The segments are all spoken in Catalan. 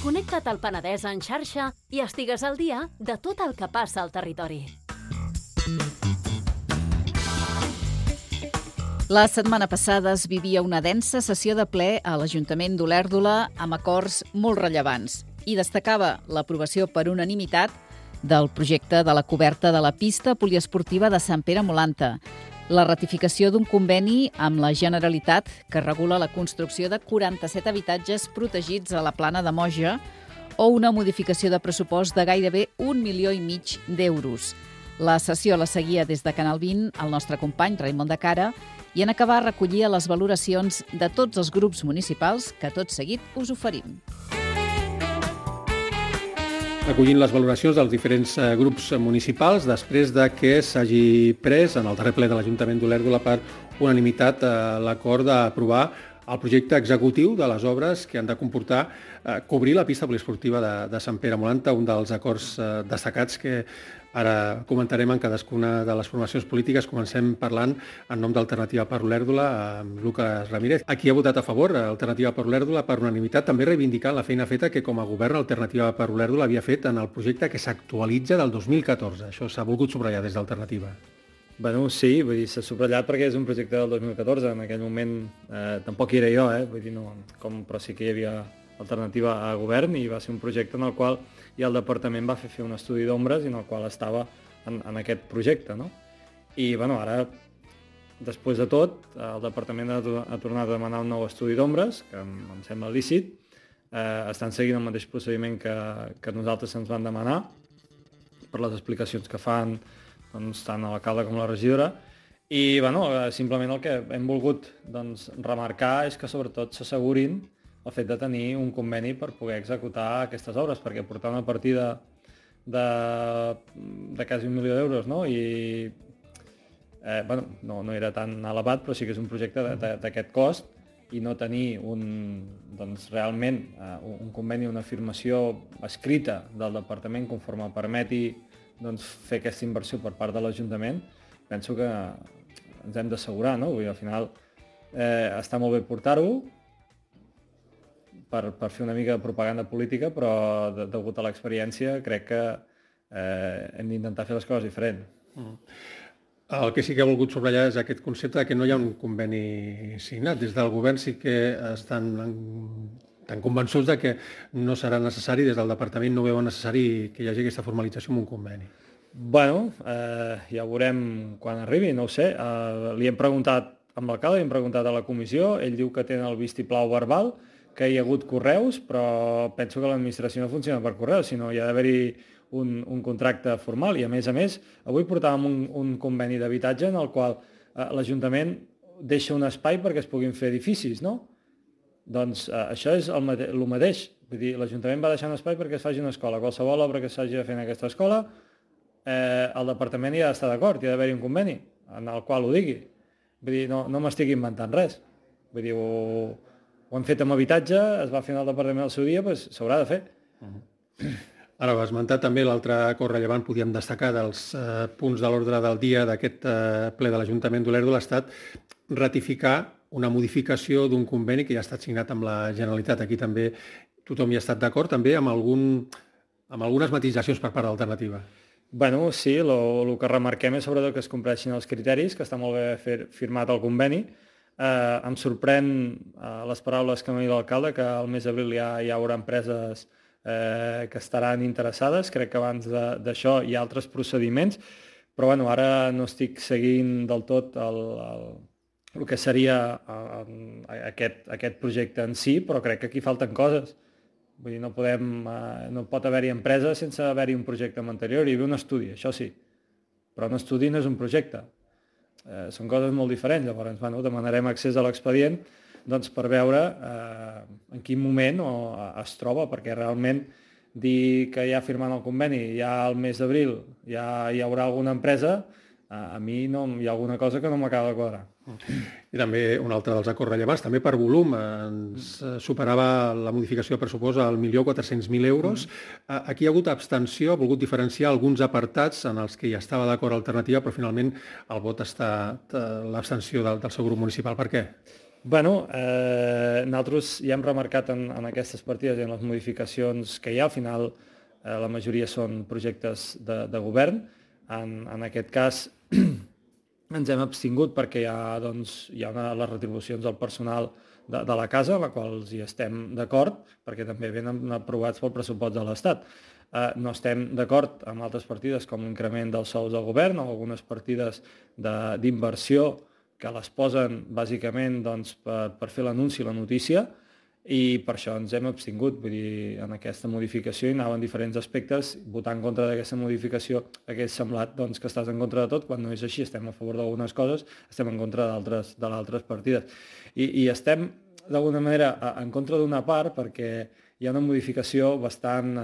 Connecta't al Penedès en xarxa i estigues al dia de tot el que passa al territori. La setmana passada es vivia una densa sessió de ple a l'Ajuntament d'Olèrdola amb acords molt rellevants i destacava l'aprovació per unanimitat del projecte de la coberta de la pista poliesportiva de Sant Pere Molanta, la ratificació d'un conveni amb la Generalitat que regula la construcció de 47 habitatges protegits a la Plana de Moja o una modificació de pressupost de gairebé 1,5 milions d'euros. La sessió la seguia des de Canal 20 el nostre company Raimon de Cara i en acabar recollia les valoracions de tots els grups municipals que tot seguit us oferim. Recollint les valoracions dels diferents grups municipals després de que s'hagi pres en el darrer ple de l'Ajuntament d'Olèrdola per unanimitat l'acord d'aprovar el projecte executiu de les obres que han de comportar cobrir la pista poliesportiva de Sant Pere Molanta, un dels acords destacats que ara comentarem en cadascuna de les formacions polítiques. Comencem parlant en nom d'Alternativa per Olèrdola amb Lucas Ramírez. Aquí ha votat a favor Alternativa per Olèrdola per unanimitat, també reivindicant la feina feta que com a govern Alternativa per Olèrdola havia fet en el projecte que s'actualitza del 2014. Això s'ha volgut subratllar des d'Alternativa. Bueno, sí, vull dir, s'ha subratllat perquè és un projecte del 2014. En aquell moment tampoc hi era jo, vull dir, no, però sí que hi havia alternativa a govern i va ser un projecte en el qual ja el departament va fer un estudi d'ombres i en el qual estava en aquest projecte, no? I bueno, ara, després de tot, el departament ha tornat a demanar un nou estudi d'ombres, que em sembla lícit. Estan seguint el mateix procediment que nosaltres ens van demanar per les explicacions que fan doncs, tant l'alcalde com la regidora. I bueno, simplement el que hem volgut remarcar és que sobretot s'assegurin el fet de tenir un conveni per poder executar aquestes obres, perquè portar una partida de quasi 1 milió d'euros, no? I bueno, no era tan elevat, però sí que és un projecte d'aquest cost i no tenir realment un conveni, una afirmació escrita del departament conforme permeti fer aquesta inversió per part de l'Ajuntament, penso que ens hem d'assegurar, no? Vull dir, al final està molt bé portar-ho per fer una mica de propaganda política, però degut a l'experiència crec que hem d'intentar fer les coses diferent. El que sí que he volgut subratllar és aquest concepte que no hi ha un conveni signat. Des del govern sí que estan tan convençuts de que no serà necessari, des del departament no veuen necessari que hi hagi aquesta formalització amb un conveni. Bueno, ja ho veurem quan arribi, no ho sé. Li hem preguntat amb l'alcalde, li hem preguntat a la comissió, ell diu que tenen el vistiplau verbal, que hi ha hagut correus, però penso que l'administració no funciona per correus, sinó hi ha d'haver-hi un contracte formal. I a més, avui portàvem un conveni d'habitatge en el qual l'Ajuntament deixa un espai perquè es puguin fer edificis, no? Doncs això és el mateix. Vull dir, l'Ajuntament va deixar un espai perquè es faci una escola. Qualsevol obra que s'hagi de fer en aquesta escola, el departament hi ha d'estar d'acord, hi ha d'haver-hi un conveni en el qual ho digui. Vull dir, no m'estic inventant res. Vull dir, ho hem fet amb habitatge, es va fer en el departament al seu dia, doncs s'haurà de fer. Ara ho has esmentat també, l'altre acord rellevant, podíem destacar dels punts de l'ordre del dia d'aquest ple de l'Ajuntament d'Olèrdola, ha estat ratificar una modificació d'un conveni que ja ha estat signat amb la Generalitat. Aquí també tothom hi ha estat d'acord, també amb algunes matisacions per part d'Alternativa. Bueno, sí, el que remarquem és sobretot que es compleixin els criteris, que està molt bé firmat el conveni. Em sorprèn les paraules que m'ha dit l'alcalde, que al mes d'abril ja hi haurà empreses que estaran interessades. Crec que abans d'això hi ha altres procediments, però bueno, ara no estic seguint del tot el que seria aquest projecte en si, però crec que aquí falten coses. Vull dir, no pot haver-hi empresa sense haver-hi un projecte anterior. Hi havia un estudi, això sí, però un estudi no és un projecte. Són coses molt diferents. Llavors, demanarem accés a l'expedient per veure en quin moment es troba, perquè realment dir que ja firmant el conveni ja al mes d'abril ja hi haurà alguna empresa, a mi hi ha alguna cosa que no m'acaba de quadrar. I també un altre dels acords rellevants, també per volum, ens superava la modificació de pressupost al 1.400.000 euros. Aquí hi ha hagut abstenció, ha volgut diferenciar alguns apartats en els que hi estava d'acord Alternativa, però finalment el vot està l'abstenció del seu grup municipal. Per què? Nosaltres ja hem remarcat en aquestes partides i en les modificacions que hi ha, al final la majoria són projectes de govern. En aquest cas ens hem abstingut perquè hi ha les retribucions del personal de la casa, amb la qual hi estem d'acord, perquè també venen aprovats pel pressupost de l'Estat. No estem d'acord amb altres partides com l'increment dels sous del govern o algunes partides d'inversió que les posen bàsicament per fer l'anunci i la notícia, i per això ens hem abstingut. Vull dir, en aquesta modificació hi anaven diferents aspectes. Votar en contra d'aquesta modificació hagués semblat que estàs en contra de tot, quan no és així. Estem a favor d'algunes coses, estem en contra d'altres partides. I estem, d'alguna manera, en contra d'una part perquè hi ha una modificació bastant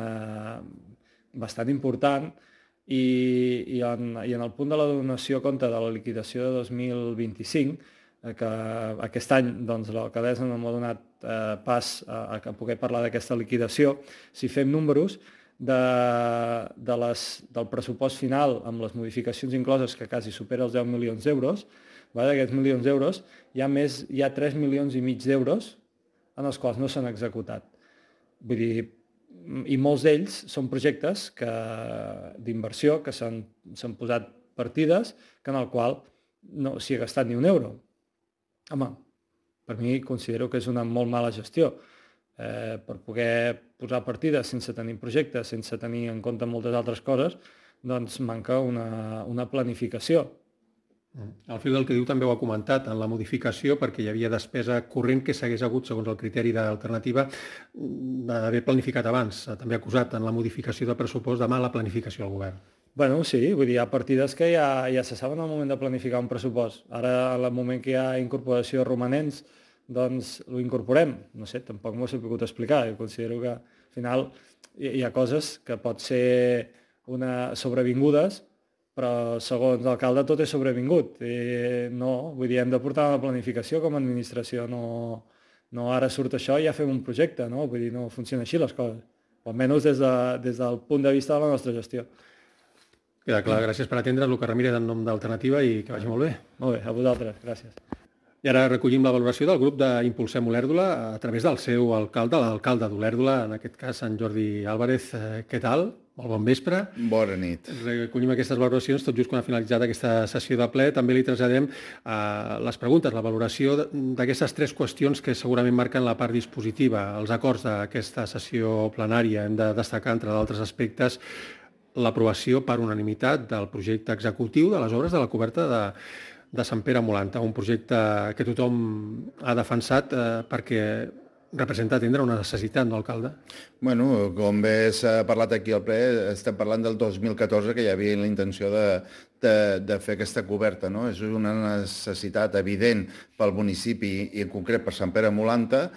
important i en el punt de la donació a compte de la liquidació de 2025, que aquest any l'alcaldessa no m'ha donat pas a poder parlar d'aquesta liquidació. Si fem números del pressupost final amb les modificacions incloses, que quasi supera els 10 milions d'euros, d'aquests milions d'euros hi ha 3 milions i mig d'euros en els quals no s'han executat. Vull dir, i molts d'ells són projectes d'inversió que s'han posat partides en el qual no s'hi ha gastat ni un euro. Home, per mi considero que és una molt mala gestió. Per poder posar partides sense tenir projectes, sense tenir en compte moltes altres coses, doncs manca una planificació. Al fil del que diu també ho ha comentat en la modificació, perquè hi havia despesa corrent que s'hagués hagut, segons el criteri d'alternativa, d'haver planificat abans. També ha acusat en la modificació de pressupost de mala planificació al govern. Sí, vull dir, hi ha partides que ja se saben al moment de planificar un pressupost. Ara, al moment que hi ha incorporació de romanents, doncs ho incorporem. No sé, tampoc m'ho he sabut explicar. Jo considero que al final hi ha coses que pot ser sobrevingudes, però segons l'alcalde tot és sobrevingut. No, vull dir, hem de portar una planificació com a administració. No ara surt això i ja fem un projecte, no? Vull dir, no funciona així les coses. O almenys des del punt de vista de la nostra gestió. Queda clar, gràcies per atendre's, Lucas Ramírez, en nom d'Alternativa, i que vagi molt bé. Molt bé, a vosaltres, gràcies. I ara recollim la valoració del grup d'Impulsem Olèrdola a través del seu alcalde, l'alcalde d'Olèrdola, en aquest cas, en Jordi Álvarez. Què tal? Molt bon vespre. Bona nit. Recollim aquestes valoracions tot just quan ha finalitzat aquesta sessió de ple. També li traslladem les preguntes, la valoració d'aquestes 3 qüestions que segurament marquen la part dispositiva, els acords d'aquesta sessió plenària. Hem de destacar, entre d'altres aspectes, l'aprovació per unanimitat del projecte executiu de les obres de la coberta de Sant Pere Molanta, un projecte que tothom ha defensat perquè representa atendre una necessitat, no, alcalde? Com bé s'ha parlat aquí al ple, estem parlant del 2014, que hi havia la intenció de fer aquesta coberta, no? És una necessitat evident pel municipi i en concret per Sant Pere Molanta.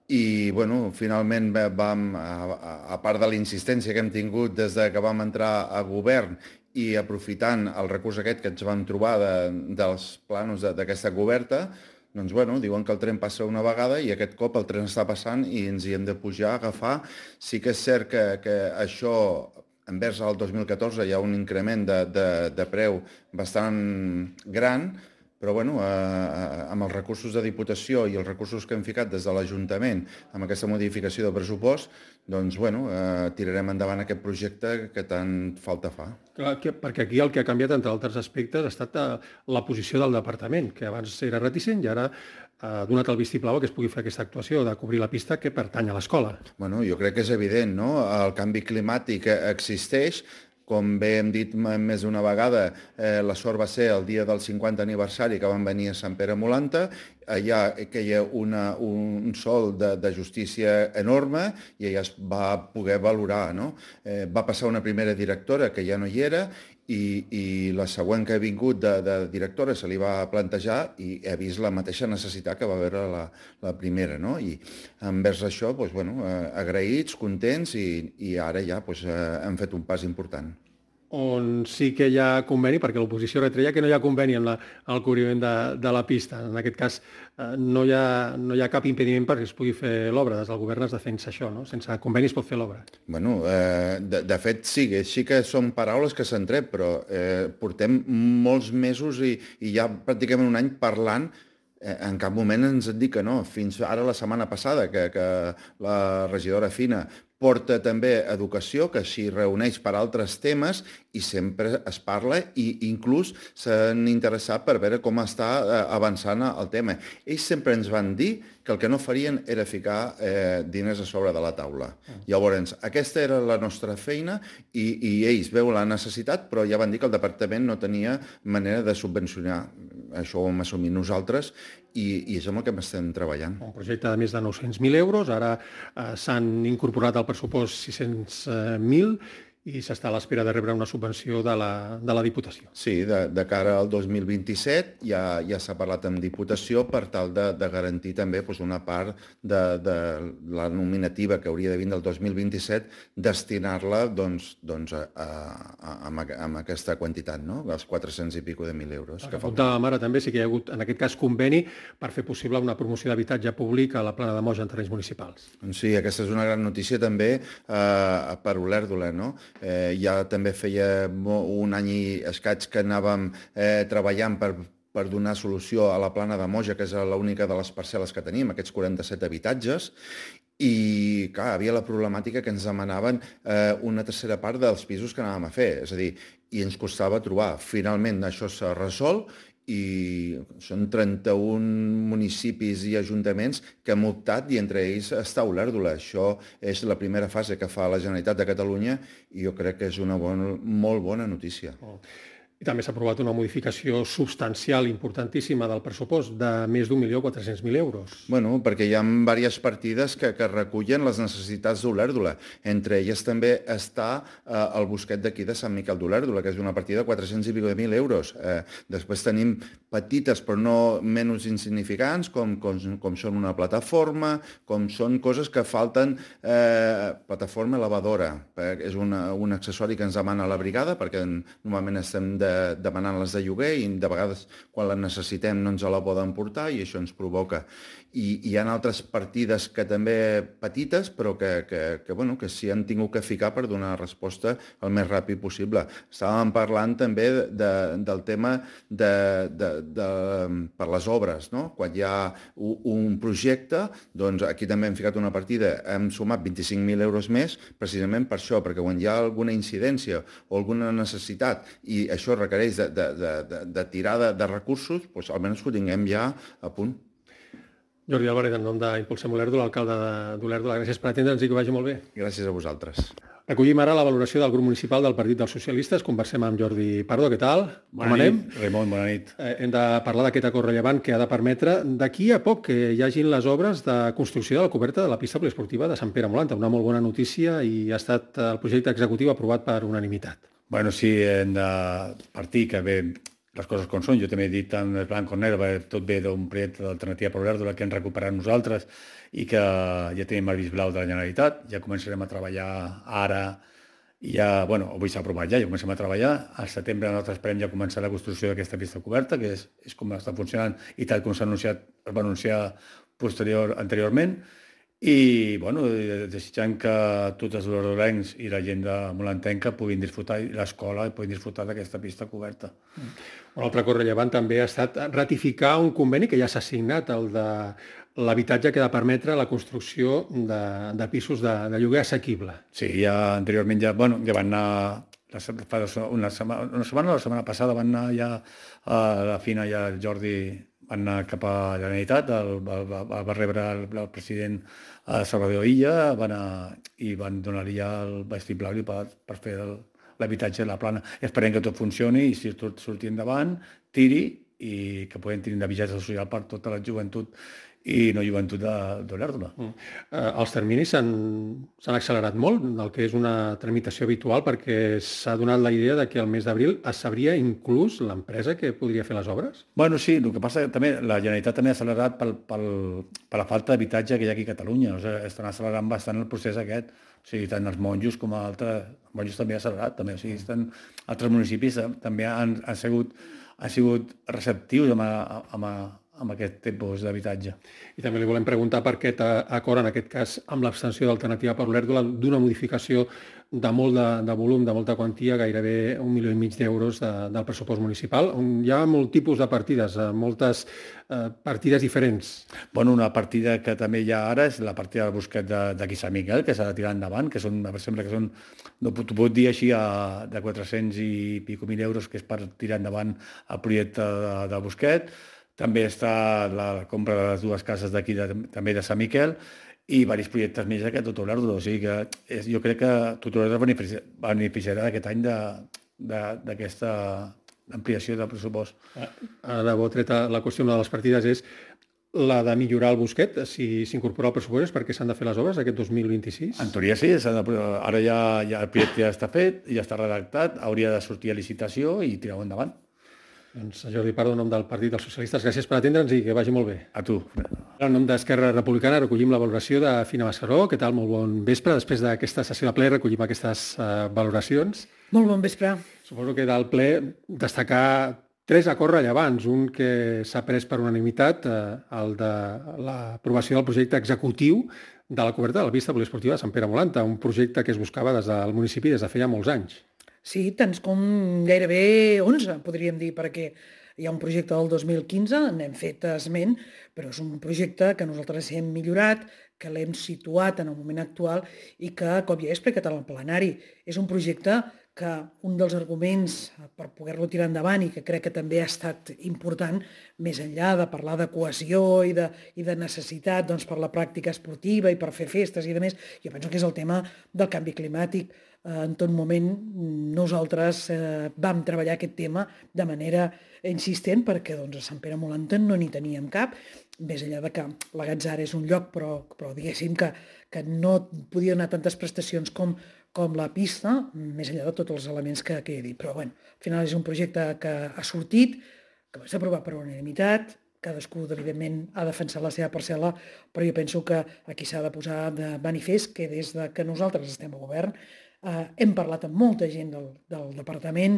I, finalment vam, a part de la insistència que hem tingut des que vam entrar a govern i aprofitant el recurs aquest que ens vam trobar dels plànols d'aquesta coberta, doncs, diuen que el tren passa una vegada i aquest cop el tren està passant i ens hi hem de pujar, agafar. Sí que és cert que això, envers el 2014, hi ha un increment de preu bastant gran, però amb els recursos de Diputació i els recursos que hem ficat des de l'Ajuntament amb aquesta modificació de pressupost, doncs tirarem endavant aquest projecte que tant falta fa. Clar, perquè aquí el que ha canviat, entre altres aspectes, ha estat la posició del departament, que abans era reticent i ara ha donat el vistiplau que es pugui fer aquesta actuació de cobrir la pista que pertany a l'escola. Jo crec que és evident, no? El canvi climàtic existeix. Com bé hem dit més d'una vegada, la sort va ser el dia del 50 aniversari que van venir a Sant Pere Molanta. Allà que hi ha un sol de justícia enorme i allà es va poder valorar, no? Va passar una primera directora que ja no hi era i la següent que ha vingut de directora se li va plantejar i ha vist la mateixa necessitat que va veure la primera, no? I envers això, agraïts, contents i ara ja hem fet un pas important. On sí que hi ha conveni, perquè l'oposició retreia que no hi ha conveni en el cobriment de la pista. En aquest cas, no hi ha cap impediment perquè es pugui fer l'obra. Des del govern es defensa això, no? Sense conveni es pot fer l'obra. De fet, sí que són paraules que s'han tret, però portem molts mesos i ja pràcticament un any parlant En cap moment ens han dit que no. Fins ara la setmana passada, que la regidora Fina porta també educació, que s'hi reuneix per altres temes i sempre es parla i inclús s'han interessat per veure com està avançant el tema. Ells sempre ens van dir que el que no farien era ficar diners a sobre de la taula. Llavors, aquesta era la nostra feina i ells veuen la necessitat, però ja van dir que el departament no tenia manera de subvencionar. Això ho hem assumit nosaltres i és amb el que estem treballant. Un projecte de més de 900.000 euros, ara s'han incorporat al pressupost 600.000 i s'està a l'espera de rebre una subvenció de la Diputació. Sí, de cara al 2027 ja s'ha parlat amb Diputació per tal de garantir també una part de la nominativa que hauria de vindre el 2027, destinar-la amb aquesta quantitat, no? Els 400 i pico de 1.000 euros. Que apuntàvem ara també, sí que hi ha hagut, en aquest cas, conveni per fer possible una promoció d'habitatge públic a la Plana de Moja en terrenys municipals. Sí, aquesta és una gran notícia també per Olèrdola, no? Ja també feia un any i escaig que anàvem treballant per donar solució a la Plana de Moja, que és l'única de les parcel·les que tenim, aquests 47 habitatges, i clar, havia la problemàtica que ens demanaven una tercera part dels pisos que anàvem a fer, és a dir, i ens costava trobar. Finalment això s'ha resolt i són 31 municipis i ajuntaments que han optat i entre ells està Olèrdola. Això és la primera fase que fa la Generalitat de Catalunya i jo crec que és una molt bona notícia. I també s'ha aprovat una modificació substancial importantíssima del pressupost de més d'1.400.000 euros. Bueno, perquè hi ha diverses partides que recullen les necessitats d'Olèrdola. Entre elles també està el bosquet d'aquí de Sant Miquel d'Olèrdola, que és una partida de 400 i pico de 1.000 euros. Després tenim petites però no menys insignificants, com són una plataforma, com són coses que falten, plataforma elevadora. És un accessori que ens demana la brigada, perquè normalment estem demanant-les de lloguer i de vegades quan la necessitem no ens la poden portar i això ens provoca. I hi ha altres partides que també petites però que s'hi han tingut que ficar per donar resposta el més ràpid possible. Estàvem parlant també del tema per les obres, no? Quan hi ha un projecte, doncs aquí també hem ficat una partida, hem sumat 25.000 euros més precisament per això, perquè quan hi ha alguna incidència o alguna necessitat i això requereix de tirada de recursos, doncs almenys ho tinguem ja a punt. Jordi Álvarez, en nom d'Impulsem Olèrdola, alcalde d'Olèrdola, gràcies per atendre'ns i que vagi molt bé. Gràcies a vosaltres. Recollim ara la valoració del grup municipal del Partit dels Socialistes. Conversem amb Jordi Pardo. Què tal? Com anem? Ramon, bona nit. Hem de parlar d'aquest acord rellevant que ha de permetre d'aquí a poc que hi hagin les obres de construcció de la coberta de la pista poliesportiva de Sant Pere Molanta. Una molt bona notícia i ha estat el projecte executiu aprovat per unanimitat. Bueno, sí, hem de partir que bé les coses com són. Jo també he dit tant el blanc com negre, tot ve d'un projecte d'alternativa per Olèrdola que hem recuperat nosaltres i que ja tenim el vist blau de la Generalitat. Ja començarem a treballar ara i ja, bueno, avui s'ha aprovat ja comencem a treballar. Al setembre nosaltres esperem ja començar la construcció d'aquesta pista coberta, que és com està funcionant i tal com s'ha anunciat, es va anunciar anteriorment. I, bueno, desitjant que tots els olèrdolencs i la gent de molantenca puguin disfrutar, i l'escola puguin disfrutar d'aquesta pista coberta. Un altre acord rellevant també ha estat ratificar un conveni que ja s'ha signat, el de l'habitatge que ha de permetre la construcció de pisos de lloguer assequible. Sí, ja anteriorment ja van anar, una setmana passada van anar ja a la Fina i el Jordi van anar cap a la Generalitat, va rebre el president Salvador Illa i van donar-li ja el vistiplau per fer l'habitatge de la Plana. Esperem que tot funcioni i si tot surti endavant, tiri i que puguem tenir un habitatge social per tota la joventut i no joventut d'Olèrdola. Els terminis s'han accelerat molt, el que és una tramitació habitual, perquè s'ha donat la idea de que al mes d'abril es sabria inclús l'empresa que podria fer les obres? Bueno, sí, el que passa que també la Generalitat també ha accelerat per la falta d'habitatge que hi ha aquí a Catalunya. O sigui, estan accelerant bastant el procés aquest. O sigui, tant els monjos com altres... Els monjos també ha accelerat, també. O sigui, altres municipis també han sigut receptius amb amb aquest tipus d'habitatge. I també li volem preguntar per aquest acord, en aquest cas, amb l'abstenció d'Alternativa per Olèrdola, d'una modificació de molt de volum, de molta quantia, gairebé 1,5 milió d'euros del pressupost municipal, on hi ha molt tipus de partides, moltes partides diferents. Bueno, una partida que també hi ha ara és la partida del Busquet d'aquí Sant Miquel, que s'ha de tirar endavant, que són, sembla que són, no t'ho puc dir així, de 400 i pico mil euros, que és per tirar endavant el projecte del Busquet. També està la compra de les dues cases d'aquí, també de Sant Miquel, i diversos projectes més que Tot Olèrdola. O sigui que jo crec que Tot Olèrdola beneficiarà aquest any d'aquesta ampliació del pressupost. Ara de bo treta la qüestió de les partides és la de millorar el Busquet, si s'incorpora al pressupost, perquè s'han de fer les obres aquest 2026? En teoria sí, ara ja el projecte ja està fet, ja està redactat, hauria de sortir a licitació i tirar-ho endavant. Doncs Jordi Pardo, en nom del Partit dels Socialistes, gràcies per atendre'ns i que vagi molt bé. A tu. En nom d'Esquerra Republicana recollim la valoració de Fina Mascaró. Què tal? Molt bon vespre. Després d'aquesta sessió de ple recollim aquestes valoracions. Molt bon vespre. Suposo que del ple destacar 3 acords rellevants. Un que s'ha pres per unanimitat, el de l'aprovació del projecte executiu de la coberta de la pista poliesportiva de Sant Pere Molanta, un projecte que es buscava des del municipi des de feia molts anys. Sí, tants com gairebé 11, podríem dir, perquè hi ha un projecte del 2015, n'hem fet esment, però és un projecte que nosaltres hem millorat, que l'hem situat en el moment actual i que, com ja he explicat en el plenari, és un projecte que un dels arguments per poder-lo tirar endavant i que crec que també ha estat important, més enllà de parlar de cohesió i de necessitat per la pràctica esportiva i per fer festes i demés, jo penso que és el tema del canvi climàtic. En tot moment nosaltres vam treballar aquest tema de manera insistent perquè a Sant Pere Molanta no n'hi teníem cap, més enllà de que la Gatzara és un lloc però diguéssim que no podia donar tantes prestacions com la pista, més enllà de tots els elements que he dit. Però al final és un projecte que ha sortit, que va ser aprovat per unanimitat, cadascú, evidentment, ha defensat la seva parcel·la, però jo penso que aquí s'ha de posar de manifest que des que nosaltres estem al govern hem parlat amb molta gent del departament,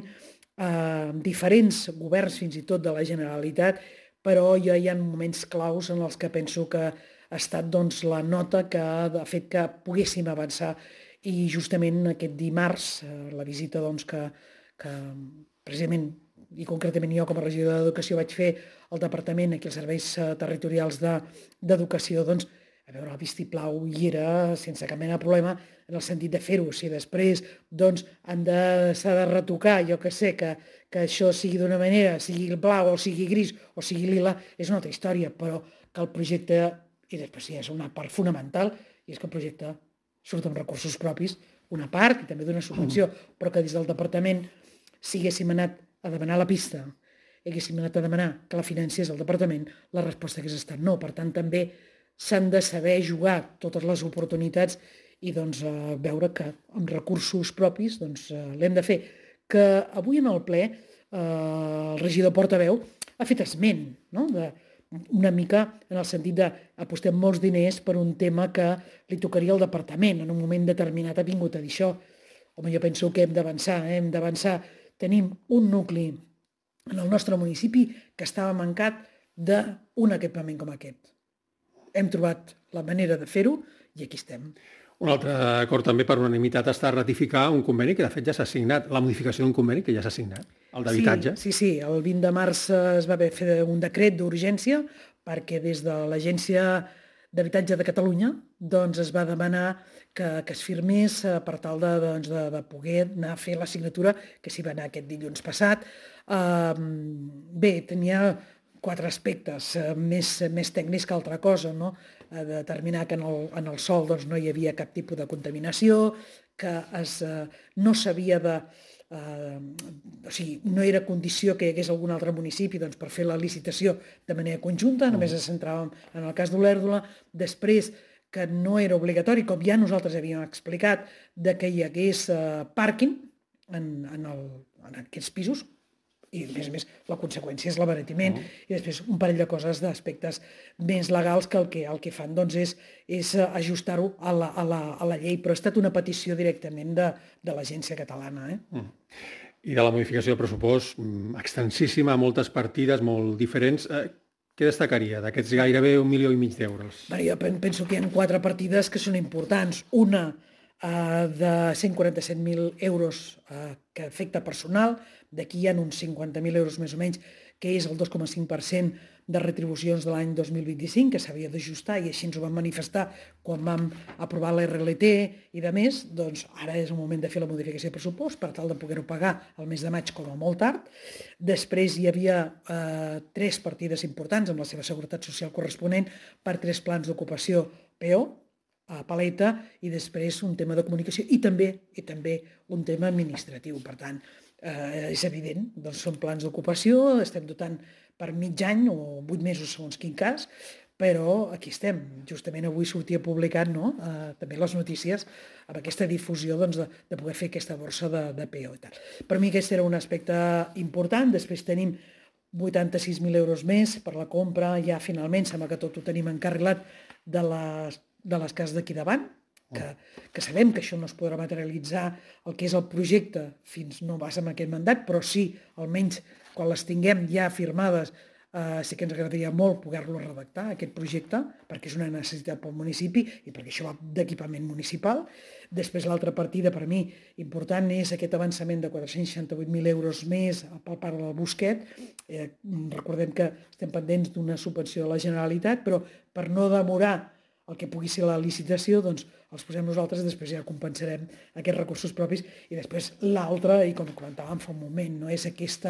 amb diferents governs, fins i tot de la Generalitat, però ja hi ha moments claus en els que penso que ha estat la nota que ha fet que poguéssim avançar i justament aquest dimarts, la visita que precisament i concretament jo com a regidora d'Educació vaig fer al departament, aquí als serveis territorials d'educació, a veure, el vistiplau hi era sense cap mena de problema en el sentit de fer-ho. Si després s'ha de retocar, jo que sé, que això sigui d'una manera, sigui blau o sigui gris o sigui lila, és una altra història, però que el projecte, i després sí, és una part fonamental, i és que el projecte surt amb recursos propis, una part, i també d'una subvenció, però que des del departament, si haguéssim anat a demanar la pista, haguéssim anat a demanar que la financés el departament, la resposta hagués estat no. Per tant, també s'han de saber jugar totes les oportunitats i veure que amb recursos propis l'hem de fer. Que avui en el ple el regidor portaveu ha fet esment, no? Una mica en el sentit d'apostem molts diners per un tema que li tocaria al departament. En un moment determinat ha vingut a dir això. Home, jo penso que hem d'avançar. Tenim un nucli en el nostre municipi que estava mancat d'un equipament com aquest. Hem trobat la manera de fer-ho i aquí estem. Un altre acord també per unanimitat està ratificar un conveni que de fet ja s'ha signat, la modificació d'un conveni que ja s'ha signat, el d'habitatge. Sí, el 20 de març es va haver fer un decret d'urgència perquè des de l'Agència d'Habitatge de Catalunya es va demanar que es firmés per tal de poder anar a fer la signatura que s'hi va anar aquest dilluns passat. Bé, tenia 4 aspectes més tècnics que altra cosa, no? Determinar que en el sòl no hi havia cap tipus de contaminació, que no s'havia de... o sigui, no era condició que hi hagués algun altre municipi per fer la licitació de manera conjunta, només ens centràvem en el cas d'Olèrdola. Després, que no era obligatori, com ja nosaltres havíem explicat, que hi hagués pàrquing en aquests pisos, i a més la conseqüència és l'abaratiment, i després un parell de coses d'aspectes més legals que el que fan és ajustar-ho a la llei, però ha estat una petició directament de l'Agència Catalana. I de la modificació del pressupost, extensíssima, moltes partides molt diferents. Què destacaria d'aquests gairebé 1,5 milió d'euros? Bé, jo penso que hi ha 4 partides que són importants. Una de 147.000 euros que afecta personal, d'aquí hi ha uns 50.000 euros més o menys, que és el 2,5% de retribucions de l'any 2025, que s'havia d'ajustar, i així ens ho vam manifestar quan vam aprovar la RLT i de més, doncs ara és el moment de fer la modificació de pressupost per tal de poder-ho pagar el mes de maig com a molt tard. Després hi havia 3 partides importants amb la seva seguretat social corresponent per 3 plans d'ocupació PO, a paleta, i després un tema de comunicació i també un tema administratiu. Per tant, és evident, doncs són plans d'ocupació, estem dotant per mig any o 8 mesos segons quin cas, però aquí estem. Justament avui sortia publicat també les notícies amb aquesta difusió de poder fer aquesta borsa de PO i tal. Per mi aquest era un aspecte important. Després tenim 86.000 euros més per la compra, ja finalment sembla que tot ho tenim encarrilat de les cases d'aquí davant, que sabem que això no es podrà materialitzar el que és el projecte fins no vas amb aquest mandat, però sí, almenys quan les tinguem ja firmades, sí que ens agradaria molt poder-lo redactar, aquest projecte, perquè és una necessitat pel municipi i perquè això va d'equipament municipal. Després l'altra partida per mi important és aquest avançament de 468.000 euros més per part del Busquet. Recordem que estem pendents d'una subvenció de la Generalitat, però per no demorar el que pugui ser la licitació, doncs els posem nosaltres, després ja compensarem aquests recursos propis, i després l'altra, i com comentàvem fa un moment, és aquest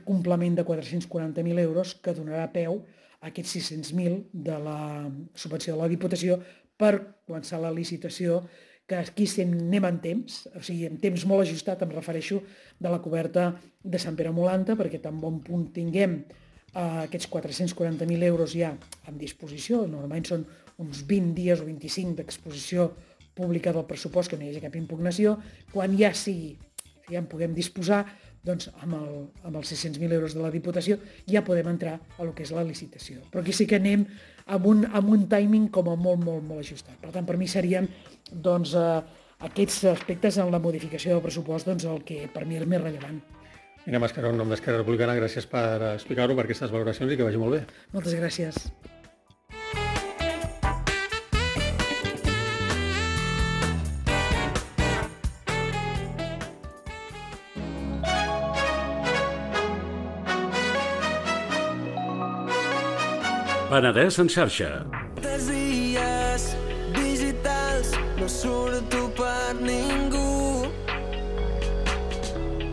complement de 440.000 euros que donarà peu a aquests 600.000 de la subvenció de la Diputació per començar la licitació, que aquí anem en temps, o sigui, en temps molt ajustat, em refereixo, de la coberta de Sant Pere Molanta, perquè tan bon punt tinguem aquests 440.000 euros ja en disposició. Normalment són uns 20 dies o 25 d'exposició pública del pressupost, que no hi hagi cap impugnació. Quan ja sigui, ja en puguem disposar, doncs amb els 600.000 euros de la Diputació ja podem entrar a lo que és la licitació. Però aquí sí que anem amb un timing com a molt, molt, molt ajustat. Per tant, per mi serien doncs, aquests aspectes en la modificació del pressupost el que per mi és més rellevant. Ina Mascaró, en nom d'Esquerra Republicana, gràcies per explicar-ho, per aquestes valoracions, i que vagi molt bé. Moltes gràcies. Penedès en xarxa. Dies digitals, no surto per ningú.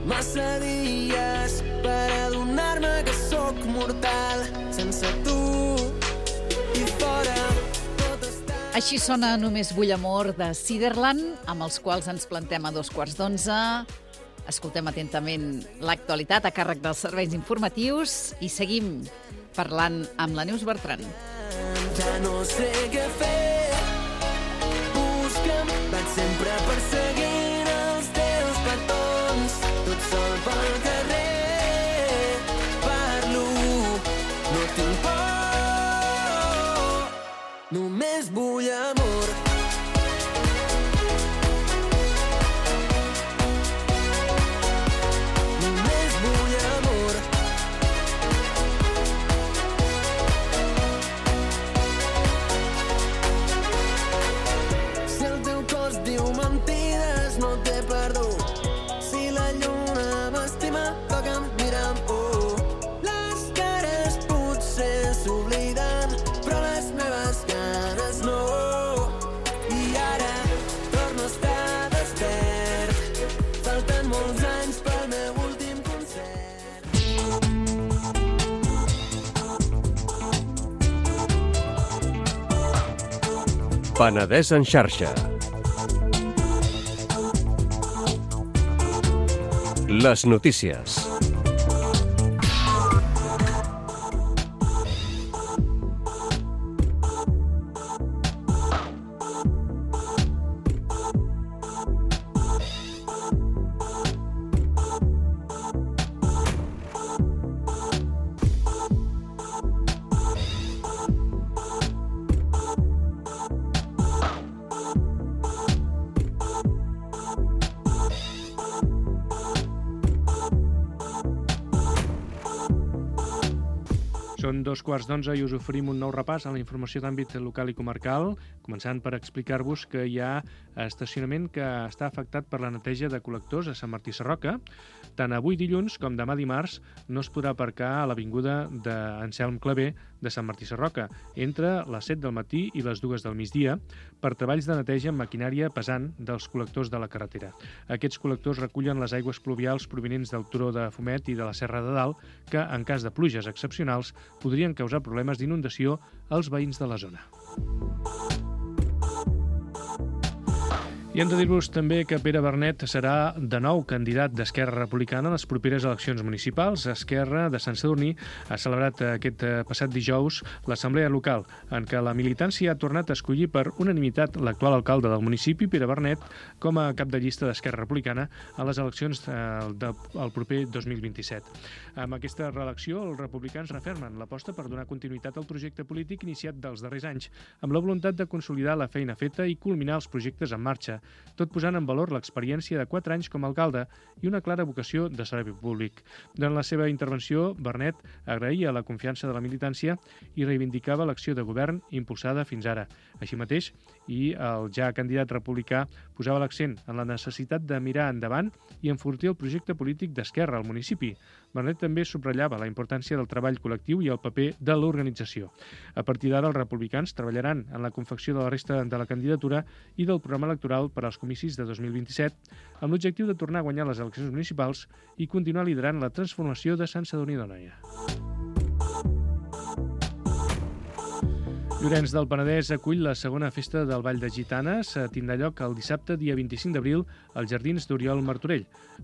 Massa dies per adonar-me que sóc mortal sense tu. I fora tot està... Així sona Només vull amor de Ciderland, amb els quals ens plantem a 11:15. Escoltem atentament l'actualitat a càrrec dels serveis informatius i seguim parlant amb la Neus Bertran. Ja no sé què fer. Busca'm, vaig sempre perseguint els teus petons, tot sol pel carrer. Parlo, no tinc por, només vull amor. Només vull amor. Diu mentides, no té perdó. Si la lluna m'estima, toca'm, mira'm, Les cares potser s'obliden, però les meves ganes no. I ara torno a estar despert. Falten molts anys pel meu últim concert. Penedès en xarxa. Les notícies. Són 11:15 i us oferim un nou repàs a la informació d'àmbit local i comarcal, començant per explicar-vos que hi ha estacionament que està afectat per la neteja de col·lectors a Sant Martí Sarroca. Tant avui dilluns com demà dimarts no es podrà aparcar a l'avinguda d'Anselm Clavé de Sant Martí Sarroca entre les 7 del matí i les 2 del migdia per treballs de neteja amb maquinària pesant dels col·lectors de la carretera. Aquests col·lectors recullen les aigües pluvials provinents del turó de Fumet i de la Serra de Dalt que, en cas de pluges excepcionals, podrien causar problemes d'inundació als veïns de la zona. I hem de dir-vos també que Pere Bernet serà de nou candidat d'Esquerra Republicana a les properes eleccions municipals. Esquerra de Sant Sadurní ha celebrat aquest passat dijous l'assemblea local, en què la militància ha tornat a escollir per unanimitat l'actual alcalde del municipi, Pere Bernet, com a cap de llista d'Esquerra Republicana a les eleccions del proper 2027. Amb aquesta reelecció, els republicans refermen l'aposta per donar continuïtat al projecte polític iniciat dels darrers anys, amb la voluntat de consolidar la feina feta i culminar els projectes en marxa, tot posant en valor l'experiència de 4 anys com a alcalde i una clara vocació de servei públic. Durant la seva intervenció, Bernet agraïa la confiança de la militància i reivindicava l'acció de govern impulsada fins ara. Així mateix, i el ja candidat republicà posava l'accent en la necessitat de mirar endavant i enfortir el projecte polític d'Esquerra al municipi. Bernet també subratllava la importància del treball col·lectiu i el paper de l'organització. A partir d'ara, els republicans treballaran en la confecció de la resta de la candidatura i del programa electoral per als comicis de 2027, amb l'objectiu de tornar a guanyar les eleccions municipals i continuar liderant la transformació de Sant Sadurní d'Anoia. Llorenç del Penedès acull la segona festa del Ball de Gitanes. Tindrà lloc el dissabte, dia 25 d'abril, als Jardins d'Oriol Martorell.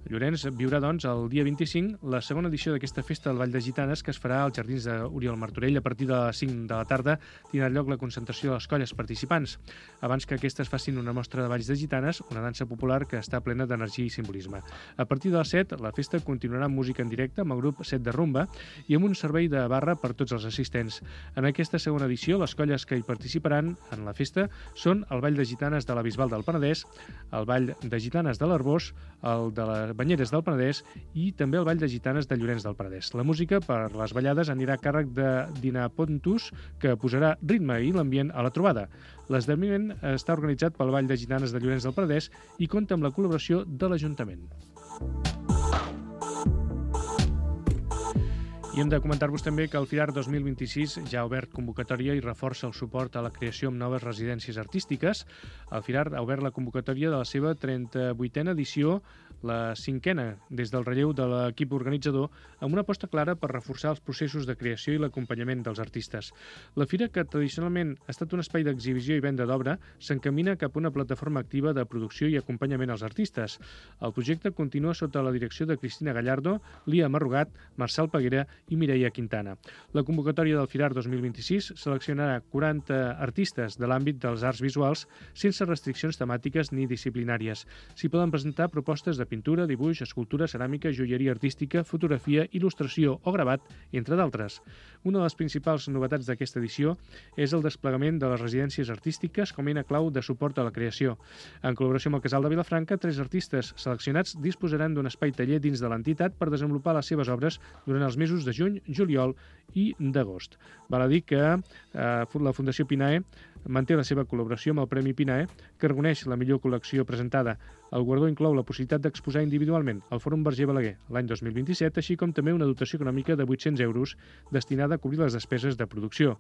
Llorenç viurà, doncs, el dia 25 la segona edició d'aquesta festa del Ball de Gitanes que es farà als Jardins d'Oriol Martorell. A partir de les 5 de la tarda tindrà lloc la concentració de les colles participants. Abans que aquestes facin una mostra de balls de gitanes, una dansa popular que està plena d'energia i simbolisme. A partir de les 7, la festa continuarà amb música en directe amb el grup 7 de Rumba i amb un servei de barra per tots els assistents. En aquesta segona edició, les colles que hi participaran en la festa són el Ball de Gitanes de la Bisbal del Penedès, el Ball de Gitanes de l'Arbós, el de les Banyeres del Penedès i també el Ball de Gitanes de Llorenç del Penedès. La música per les ballades anirà a càrrec de Dina Pontus, que posarà ritme i l'ambient a la trobada. L'esdeveniment està organitzat pel Ball de Gitanes de Llorenç del Penedès i compta amb la col·laboració de l'Ajuntament. I hem de comentar-vos també que el FIRAR 2026 ja ha obert convocatòria i reforça el suport a la creació amb noves residències artístiques. El FIRAR ha obert la convocatòria de la seva 38a edició, la 5a, des del relleu de l'equip organitzador, amb una aposta clara per reforçar els processos de creació i l'acompanyament dels artistes. La fira, que tradicionalment ha estat un espai d'exhibició i venda d'obra, s'encamina cap a una plataforma activa de producció i acompanyament als artistes. El projecte continua sota la direcció de Cristina Gallardo, Lia Marrugat, Marçal Peguera i Mireia Quintana. La convocatòria del FIRAR 2026 seleccionarà 40 artistes de l'àmbit dels arts visuals sense restriccions temàtiques ni disciplinàries. S'hi poden presentar propostes de pintura, dibuix, escultura, ceràmica, joieria artística, fotografia, il·lustració o gravat, entre d'altres. Una de les principals novetats d'aquesta edició és el desplegament de les residències artístiques com a eina clau de suport a la creació. En col·laboració amb el Casal de Vilafranca, 3 artistes seleccionats disposaran d'un espai taller dins de l'entitat per desenvolupar les seves obres durant els mesos de juny, juliol i d'agost. Val a dir que la Fundació Pinae manté la seva col·laboració amb el Premi Pinae, que reconeix la millor col·lecció presentada. El guardó inclou la possibilitat d'exposar individualment al Fòrum Verger Balaguer l'any 2027, així com també una dotació econòmica de 800 euros destinada a cobrir les despeses de producció.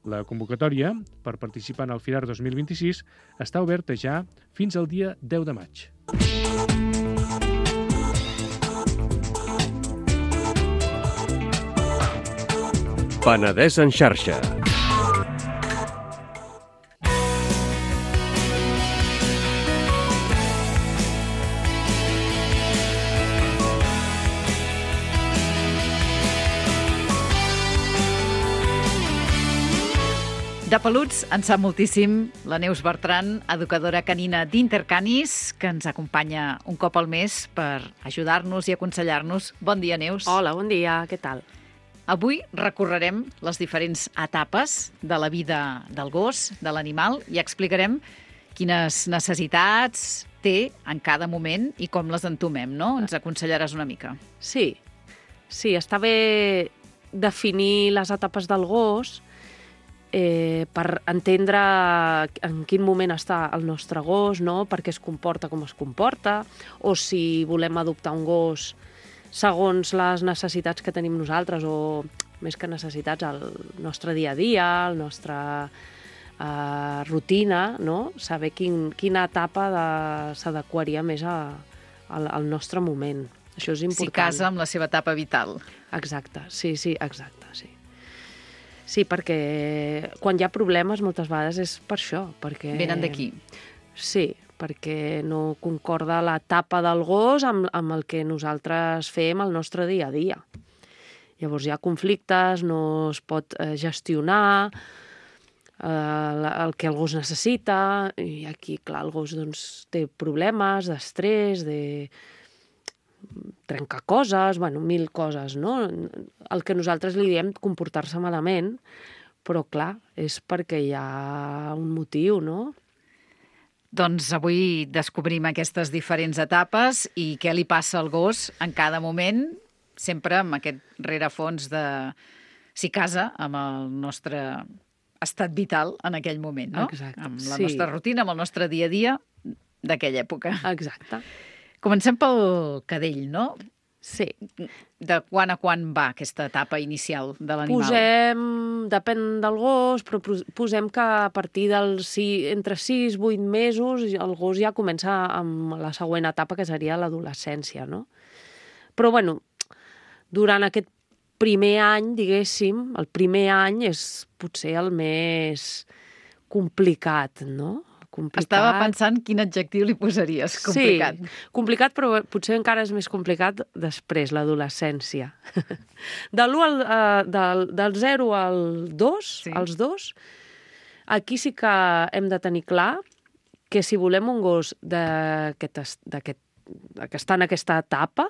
La convocatòria per participar en el FIRAR 2026 està oberta ja fins al dia 10 de maig. Penedès en xarxa. De peluts en sap moltíssim la Neus Bertran, educadora canina d'Intercanis, que ens acompanya un cop al mes per ajudar-nos i aconsellar-nos. Bon dia, Neus. Hola, bon dia, què tal? Avui recorrerem les diferents etapes de la vida del gos, de l'animal, i explicarem quines necessitats té en cada moment i com les entomem, no? Ens aconsellaràs una mica. Sí, està bé definir les etapes del gos per entendre en quin moment està el nostre gos, no? Per què es comporta com es comporta, o si volem adoptar un gos segons les necessitats que tenim nosaltres, o més que necessitats, el nostre dia a dia, el nostre rutina, no? Saber quina etapa s'adequaria més al nostre moment. Això és important. Si casa amb la seva etapa vital. Exacte, sí, exacte, sí. Sí, perquè quan hi ha problemes moltes vegades és per això. Perquè... Venen d'aquí. Sí, perquè no concorda l'etapa del gos amb el que nosaltres fem el nostre dia a dia. Llavors hi ha conflictes, no es pot gestionar el que el gos necessita, i aquí, clar, el gos doncs, té problemes d'estrès, de trencar coses, bueno, 1000 coses, no? El que nosaltres li diem comportar-se malament, però clar, és perquè hi ha un motiu, no? Doncs avui descobrim aquestes diferents etapes i què li passa al gos en cada moment, sempre amb aquest rerefons de si casa amb el nostre estat vital en aquell moment, no? Exacte. Amb la nostra rutina, amb el nostre dia a dia d'aquella època. Exacte. Comencem pel cadell, no? Sí. De quan a quan va aquesta etapa inicial de l'animal? Depèn del gos, però posem que a partir entre 6 i 8 mesos el gos ja comença amb la següent etapa, que seria l'adolescència, no? Però, bueno, durant aquest primer any, diguéssim, el primer any és potser el més complicat, no? Estava pensant quin adjectiu li posaries, complicat. Sí, complicat, però potser encara és més complicat després, l'adolescència. Del 0 al 2, sí. Als 2, aquí sí que hem de tenir clar que si volem un gos que està en aquesta etapa,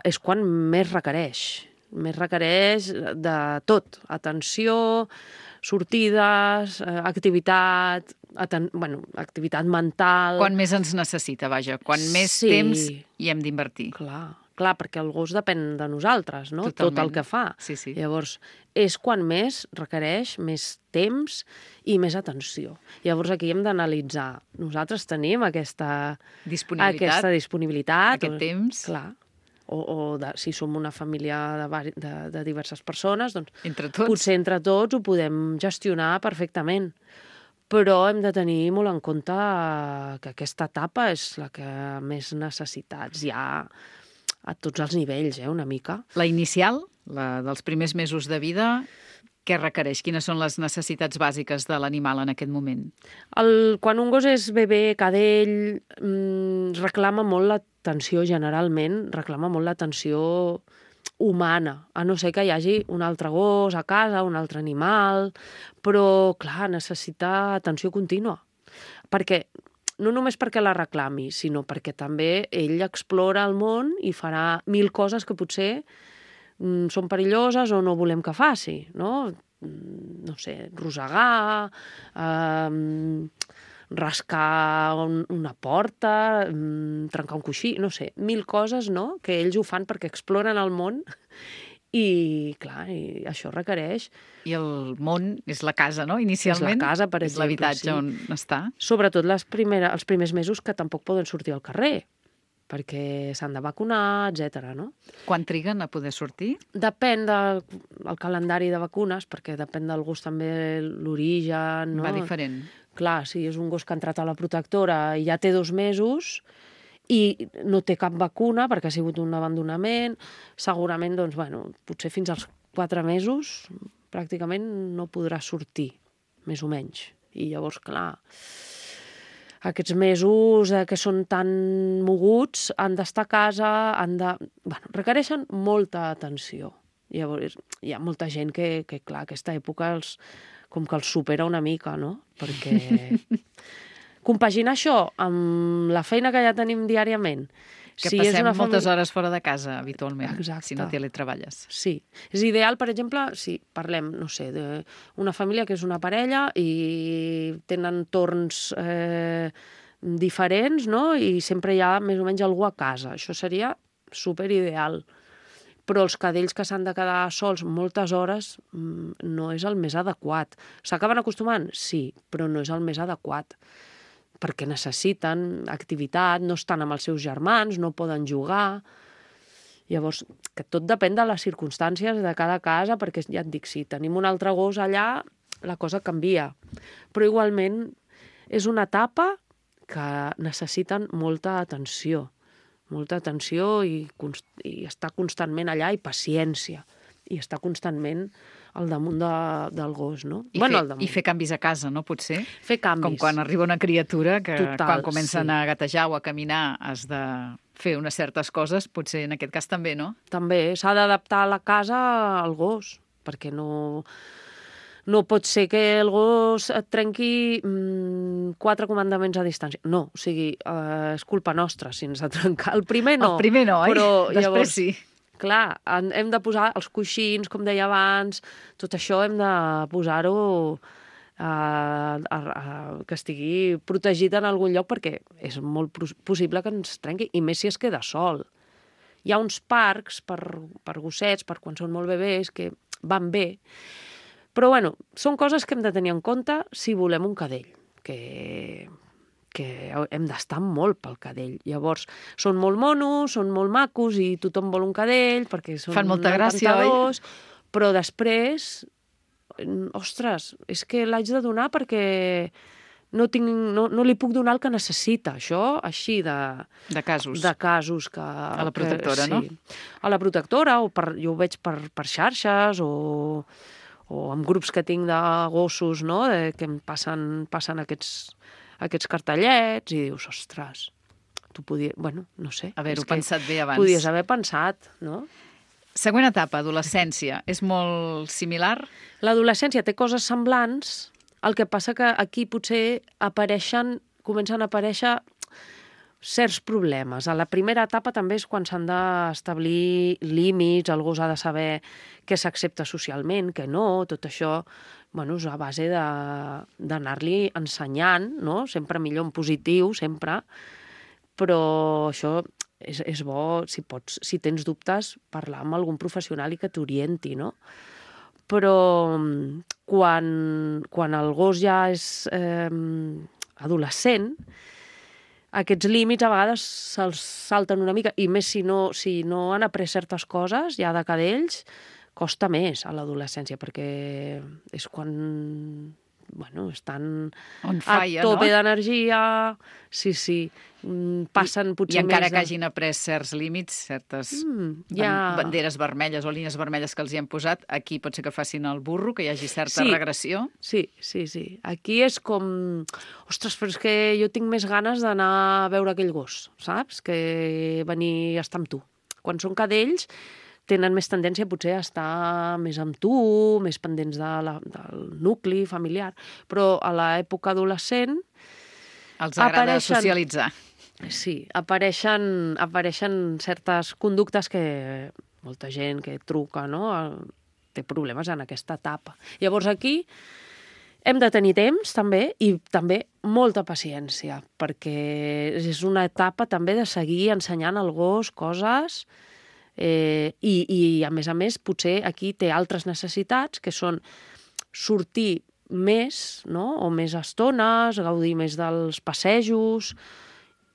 és quan més requereix. Més requereix de tot, atenció, sortides, activitat, activitat mental... Quan més ens necessita, vaja, quan més temps hi hem d'invertir. Clar, perquè el gos depèn de nosaltres, no? Totalment. Tot el que fa. Sí. Llavors, és quan més requereix més temps i més atenció. Llavors, aquí hem d'analitzar. Nosaltres tenim aquesta disponibilitat. Aquest temps. Clar. Si som una família de diverses persones, doncs potser entre tots ho podem gestionar perfectament. Però hem de tenir molt en compte que aquesta etapa és la que més necessitats hi ha a tots els nivells, una mica. La inicial, la dels primers mesos de vida, què requereix? Quines són les necessitats bàsiques de l'animal en aquest moment? Quan un gos és bebè, cadell, reclama molt l'atenció, generalment, reclama molt l'atenció humana, a no ser que hi hagi un altre gos a casa, un altre animal, però, clar, necessita atenció contínua. No només perquè la reclami, sinó perquè també ell explora el món i farà 1000 coses que potser són perilloses o no volem que faci, no? No sé, rosegar, rascar una porta, trencar un coixí, no sé, 1000 coses, no?, que ells ho fan perquè exploren el món i, clar, això requereix... I el món és la casa, no?, inicialment? És la casa, per exemple, és l'habitatge on està? Sobretot els primers mesos que tampoc poden sortir al carrer, perquè s'han de vacunar, etc. No? Quan triguen a poder sortir? Depèn del calendari de vacunes, perquè depèn del gos també l'origen. No? Va diferent. Clar, si és un gos que ha entrat a la protectora i ja té 2 mesos i no té cap vacuna perquè ha sigut un abandonament, segurament, doncs, bueno, potser fins als 4 mesos pràcticament no podrà sortir, més o menys. I llavors, clar, aquests mesos que són tan moguts han d'estar a casa, requereixen molta atenció. Llavors, hi ha molta gent que clar, aquesta època com que els supera una mica, no? Perquè compaginar això amb la feina que ja tenim diàriament... Que passem moltes hores fora de casa, habitualment, si no teletreballes. Sí. És ideal, per exemple, si parlem, no sé, d'una família que és una parella i tenen torns diferents, no?, i sempre hi ha més o menys algú a casa. Això seria superideal. però els cadells que s'han de quedar sols moltes hores no és el més adequat. S'acaben acostumant? Sí, però no és el més adequat, perquè necessiten activitat, no estan amb els seus germans, no poden jugar. Llavors, que tot depèn de les circumstàncies de cada casa, perquè ja et dic, si tenim un altre gos allà, la cosa canvia. Però igualment és una etapa que necessiten molta atenció i estar constantment allà i paciència, i estar constantment al damunt del gos, no? I fer canvis a casa, no? Potser? Fer canvis. Com quan arriba una criatura que Total, quan comencen a gatejar o a caminar has de fer unes certes coses, potser en aquest cas també, no? També, s'ha d'adaptar la casa al gos, perquè no pot ser que el gos et trenqui 4 comandaments a distància. No, o sigui, és culpa nostra si ens ha trencat. El primer no. El primer no, oi? Però després llavors, sí. Clar, hem de posar els coixins, com deia abans, tot això hem de posar-ho que estigui protegit en algun lloc, perquè és molt possible que ens trenqui, i més si es queda sol. Hi ha uns parcs per gossets, per quan són molt bebès, que van bé. Però, bueno, són coses que hem de tenir en compte si volem un cadell, que hem d'estar molt pel cadell. Llavors, són molt monos, són molt macos i tothom vol un cadell perquè són fan molta gràcia, oi? Però després, ostres, és que l'haig de donar perquè no li puc donar el que necessita. Això, així de casos. De casos que... A la protectora, no? A la protectora, jo ho veig per xarxes o amb grups que tinc de gossos, no?, que em passen aquests cartellets i dius, ostres, tu podies... Bueno, no sé. Haver-ho pensat bé abans. Podies haver pensat, no? Següent etapa, adolescència. És molt similar? L'adolescència té coses semblants, el que passa que aquí potser comencen a aparèixer certs problemes. A la primera etapa també és quan s'han d'establir límits, el gos ha de saber què s'accepta socialment, què no, tot això, bueno, és a base d'anar-li ensenyant, no? Sempre millor en positiu, sempre, però això és bo, si tens dubtes, parlar amb algun professional i que t'orienti, no? Però quan el gos ja és adolescent, aquests límits a vegades se'ls salten una mica, i més si no han après certes coses ja de cadells, costa més a l'adolescència, perquè és quan estan fire, a tope, no? d'energia, sí, passen potser més... I encara que hagin après certs límits, certes banderes vermelles o línies vermelles que els hi hem posat, aquí pot ser que facin el burro, que hi hagi certa regressió. Sí. Aquí és com... Ostres, però és que jo tinc més ganes d'anar a veure aquell gos, saps? Que venir a estar amb tu. Quan són cadells, tenen més tendència potser a estar més amb tu, més pendents del nucli familiar, però a l'època adolescent els agrada socialitzar. Sí, apareixen certes conductes que molta gent que truca, no?, té problemes en aquesta etapa. Llavors aquí hem de tenir temps també i també molta paciència, perquè és una etapa també de seguir ensenyant al gos coses i a més, potser aquí té altres necessitats, que són sortir més, no?, o més estones, gaudir més dels passejos,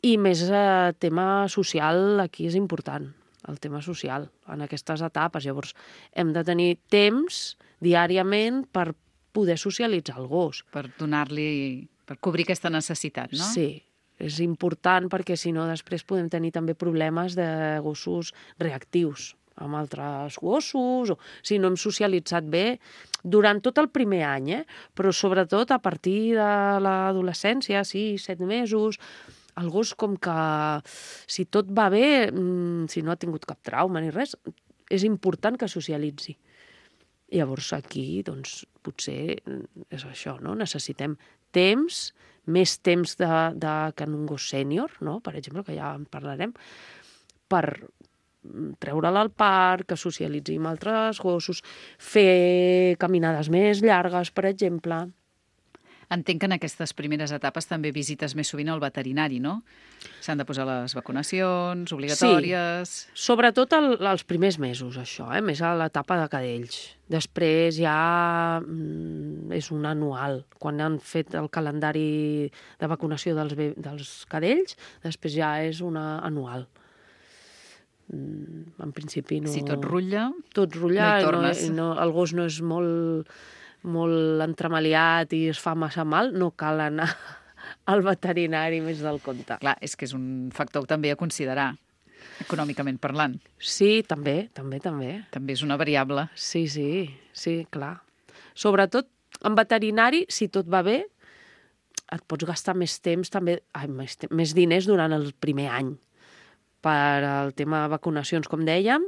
i més tema social aquí és important, el tema social, en aquestes etapes. Llavors, hem de tenir temps diàriament per poder socialitzar el gos. Per cobrir aquesta necessitat, no? Sí. És important perquè, si no, després podem tenir també problemes de gossos reactius amb altres gossos, o si no hem socialitzat bé durant tot el primer any, però sobretot a partir de l'adolescència, 6-7 mesos, el gos com que, si tot va bé, si no ha tingut cap trauma ni res, és important que socialitzi. Llavors aquí, doncs, potser és això, no? Necessitem temps, més temps que en un gos sènior, no?, per exemple, que ja en parlarem, per treure'l al parc, que socialitzi amb altres gossos, fer caminades més llargues, per exemple. Entenc que en aquestes primeres etapes també visites més sovint al veterinari, no? S'han de posar les vacunacions obligatòries... Sí, sobretot els primers mesos, això, més a l'etapa de cadells. Després ja és un anual. Quan han fet el calendari de vacunació dels cadells, després ja és una anual. En principi no... Si tot rutlla, tot rutlla, no hi tornes. El gos no és molt entremaliat i es fa massa mal, no cal anar al veterinari més del compte. Clar, és que és un factor també a considerar, econòmicament parlant. Sí, també. També és una variable. Sí, clar. Sobretot, en veterinari, si tot va bé, et pots gastar més temps també, més diners durant el primer any per al tema de vacunacions, com dèiem,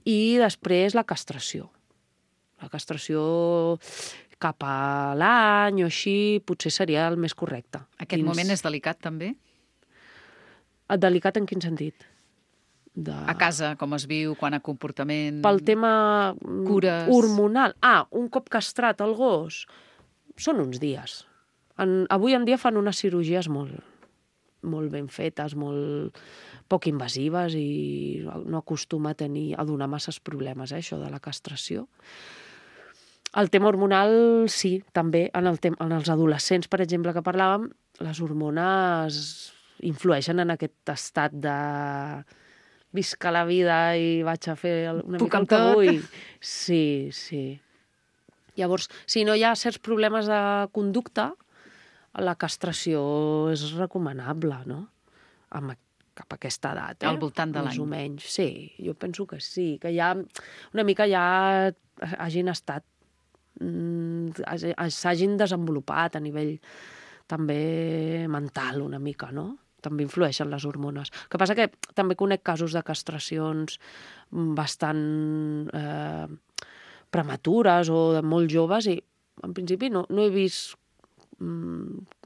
i després la castració. La castració cap a l'any o així potser seria el més correcte. Aquest moment és delicat, també? Delicat en quin sentit? A casa, com es viu, quan a comportament... Pel tema cures... hormonal. Un cop castrat el gos, són uns dies. Avui en dia fan unes cirurgies molt ben fetes, molt poc invasives i no acostuma a donar masses problemes, això de la castració. El tema hormonal, sí, també. En els adolescents, per exemple, que parlàvem, les hormones influeixen en aquest estat de visca la vida i vaig a fer una mica el que vull. Sí. Llavors, si no hi ha certs problemes de conducta, la castració és recomanable, no? Cap a aquesta edat, Al voltant de l'any. Més o menys, sí. Jo penso que sí, que ja una mica ja hagin estat s'hagin desenvolupat a nivell també mental una mica, no? També influeixen les hormones. El que passa que també conec casos de castracions bastant prematures o de molt joves i en principi no he vist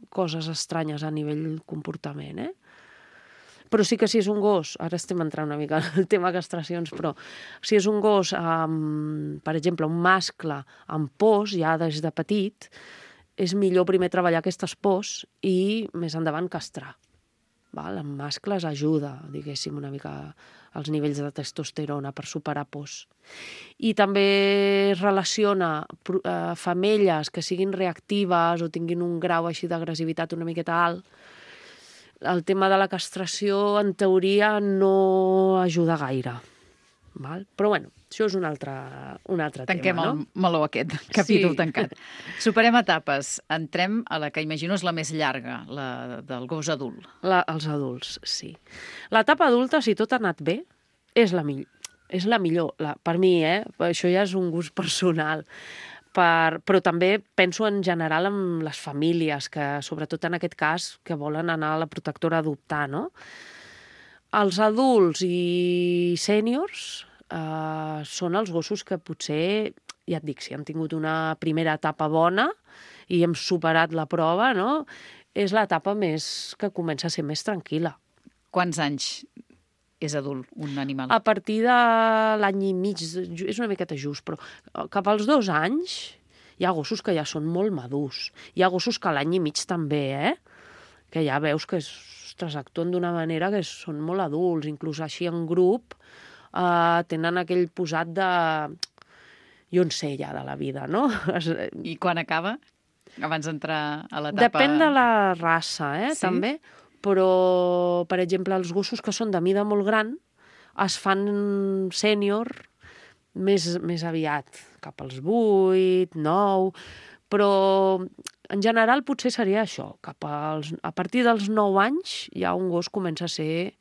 coses estranyes a nivell comportament, Però sí que si és un gos, ara estem entrant una mica en el tema castracions, però si és un gos, per exemple, un mascle amb pors, ja des de petit, és millor primer treballar aquestes pors i més endavant castrar. En mascles ajuda, diguéssim, una mica els nivells de testosterona per superar pors. I també es relaciona femelles que siguin reactives o tinguin un grau així d'agressivitat una miqueta alt. El tema de la castració, en teoria, no ajuda gaire. Però, bueno, això és un altre Tanquem tema, no? el meló aquest, capítol tancat. Superem etapes. Entrem a la que imagino és la més llarga, la del gos adult. Els adults, sí. L'etapa adulta, si tot ha anat bé, és la millor. És la millor, per mi, Això ja és un gust personal. Però també penso en general en les famílies, que sobretot en aquest cas, que volen anar a la protectora a adoptar, no? Els adults i sèniors són els gossos que potser, ja et dic, si han tingut una primera etapa bona i hem superat la prova, no? És l'etapa més que comença a ser més tranquil·la. Quants anys és adult un animal? A partir de l'any i mig, és una miqueta just, però cap als 2 anys hi ha gossos que ja són molt madurs. Hi ha gossos que a l'any i mig també, que ja veus que actuen d'una manera que són molt adults, inclús així en grup, tenen aquell posat de... jo en sé ja de la vida, no? I quan acaba? Abans d'entrar a l'etapa... Depèn de la raça, també. Però, per exemple, els gossos que són de mida molt gran es fan sènior més aviat, cap als 8, 9, però en general potser seria això, a partir dels 9 anys ja un gos comença a ser,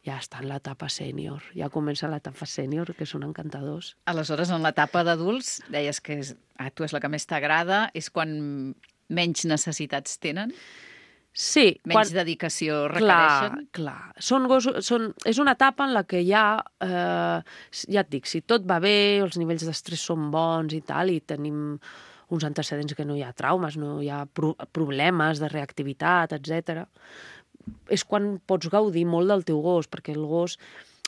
ja està en l'etapa sènior, ja comença l'etapa sènior, que són encantadors. Aleshores, en l'etapa d'adults, deies que tu és la que més t'agrada, és quan menys necessitats tenen? Sí. Menys dedicació requereixen? Clar. És una etapa en la que ja et dic, si tot va bé, els nivells d'estrès són bons i tal, i tenim uns antecedents que no hi ha traumes, no hi ha problemes de reactivitat, etc. És quan pots gaudir molt del teu gos, perquè el gos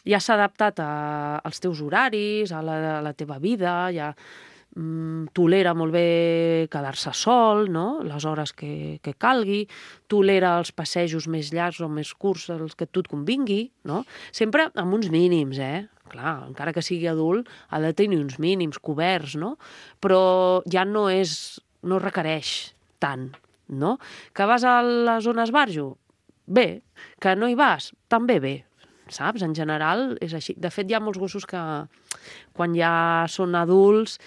ja s'ha adaptat als teus horaris, a la teva vida, ja tolera molt bé quedar-se sol, no? Les hores que calgui, tolera els passejos més llargs o més curts, els que a tu et convingui, no? Sempre amb uns mínims, Clar, encara que sigui adult, ha de tenir uns mínims coberts, no? Però ja no requereix tant, no? Que vas a la zona esbarjo? Bé. Que no hi vas? També bé. Saps? En general és així. De fet, hi ha molts gossos que quan ja són adults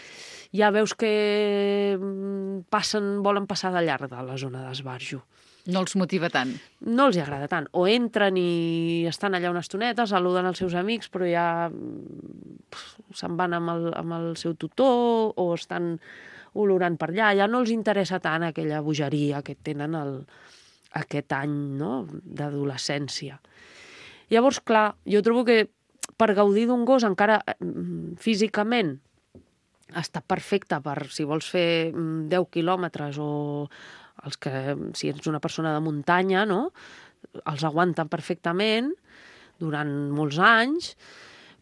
ja veus que volen passar de llarg de la zona d'esbarjo. No els motiva tant. No els hi agrada tant. O entren i estan allà una estoneta, saluden els seus amics, però ja se'n van amb el seu tutor o estan olorant per allà. Ja no els interessa tant aquella bogeria que tenen aquest any, no?, d'adolescència. Llavors, clar, jo trobo que per gaudir d'un gos encara físicament està perfecte per si vols fer 10 quilòmetres o els que, si ets una persona de muntanya, no?, els aguanten perfectament durant molts anys,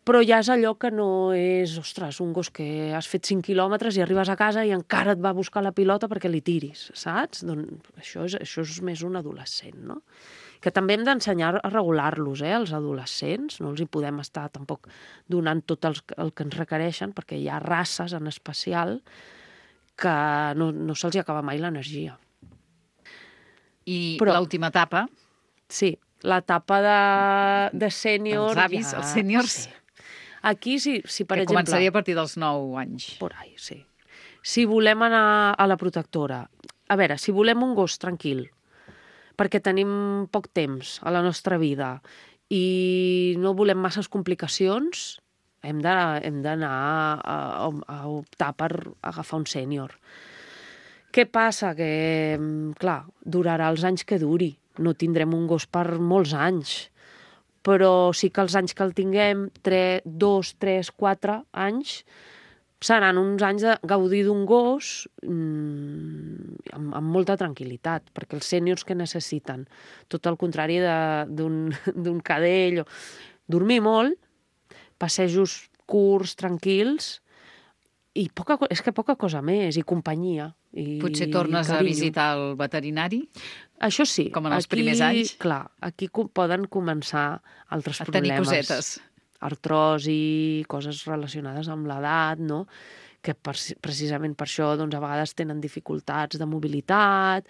però ja és allò que no és, ostres, un gos que has fet 5 quilòmetres i arribes a casa i encara et va a buscar la pilota perquè li tiris, saps? Doncs això és més un adolescent, no? Que també hem d'ensenyar a regular-los, els adolescents, no els hi podem estar tampoc donant tot el que ens requereixen, perquè hi ha races en especial que no se'ls acaba mai l'energia. I l'última etapa? Sí, l'etapa de sènior... Els avis, els sèniors. Sí. Aquí, si per exemple... Que començaria a partir dels 9 anys. Por ahí, sí. Si volem anar a la protectora, a veure, si volem un gos tranquil, perquè tenim poc temps a la nostra vida i no volem masses complicacions, hem d'anar a optar per agafar un sènior. Què passa? Que, clar, durarà els anys que duri. No tindrem un gos per molts anys. Però sí que els anys que el tinguem, 2, 3, 4 anys, seran uns anys de gaudir d'un gos amb molta tranquil·litat, perquè els sèniors que necessiten, tot el contrari d'un cadell, dormir molt, passejos curts, tranquils, i és que poca cosa més, i companyia. Potser tornes a visitar el veterinari? Això sí. Com en els primers anys? Clar, aquí poden començar altres problemes. A tenir cosetes. Artrosi, coses relacionades amb l'edat, no?, que precisament per això doncs, a vegades tenen dificultats de mobilitat.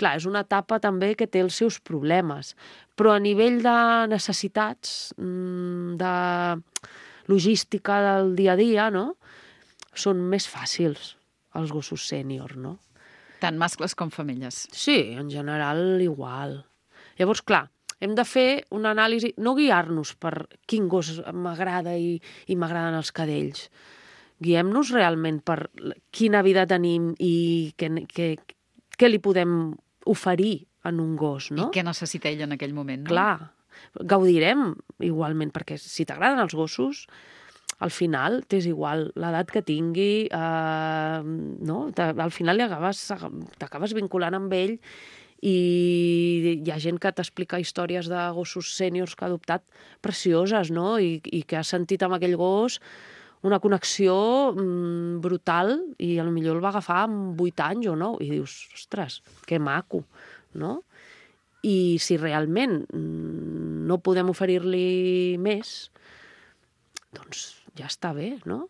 Clar, és una etapa també que té els seus problemes, però a nivell de necessitats, de logística del dia a dia, no?, són més fàcils els gossos sènior, no? Tant mascles com femelles. Sí, en general igual. Llavors, clar, hem de fer una anàlisi, no guiar-nos per quin gos m'agrada i m'agraden els cadells. Guiem-nos realment per quina vida tenim i què li podem oferir en un gos, no? I què necessita ell en aquell moment, no? Clar, gaudirem igualment, perquè si t'agraden els gossos, al final t'és igual l'edat que tingui, no? Al final t'acabes vinculant amb ell i hi ha gent que t'explica històries de gossos sèniors que ha adoptat precioses, no? I que ha sentit amb aquell gos una connexió brutal i potser el va agafar amb 8 anys o 9 i dius, ostres, que maco, no? I si realment no podem oferir-li més, doncs ja està bé, no?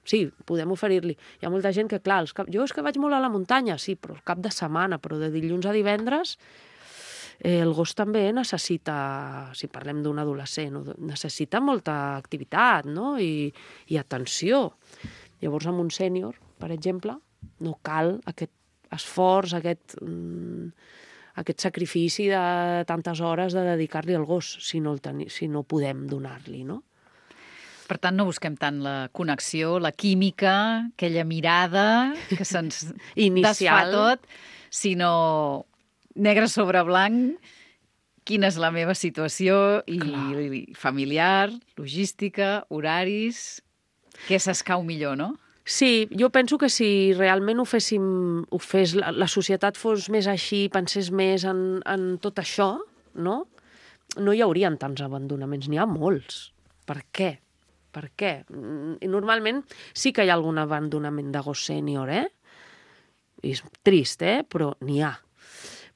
Sí, podem oferir-li. Hi ha molta gent que, clar, jo és que vaig molt a la muntanya, sí, però el cap de setmana, però de dilluns a divendres, el gos també necessita, si parlem d'un adolescent, necessita molta activitat, no?, i atenció. Llavors, amb un sènior, per exemple, no cal aquest esforç, aquest sacrifici de tantes hores de dedicar-li al gos, si no podem donar-li, no? Per tant, no busquem tant la connexió, la química, aquella mirada que se'ns desfà tot, sinó negre sobre blanc, quina és la meva situació i familiar, logística, horaris, què s'escau millor, no? Sí, jo penso que si realment la societat fos més així, pensés més en tot això, no hi haurien tants abandonaments, n'hi ha molts. Per què? per què? I normalment sí que hi ha algun abandonament de gos sènior, I és trist, però n'hi ha.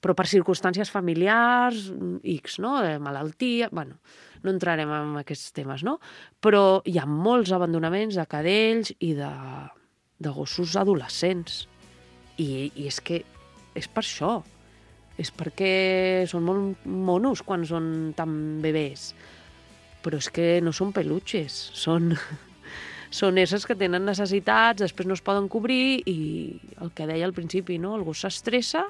Però per circumstàncies familiars, X, no? De malaltia, bueno, no entrarem en aquests temes, no? Però hi ha molts abandonaments de cadells i de gossos adolescents. I és que és per això. És perquè són molt monos quan són tan bebès. Però és que no són peluches, són éssers que tenen necessitats, després no es poden cobrir i el que deia al principi, no? El gos s'estressa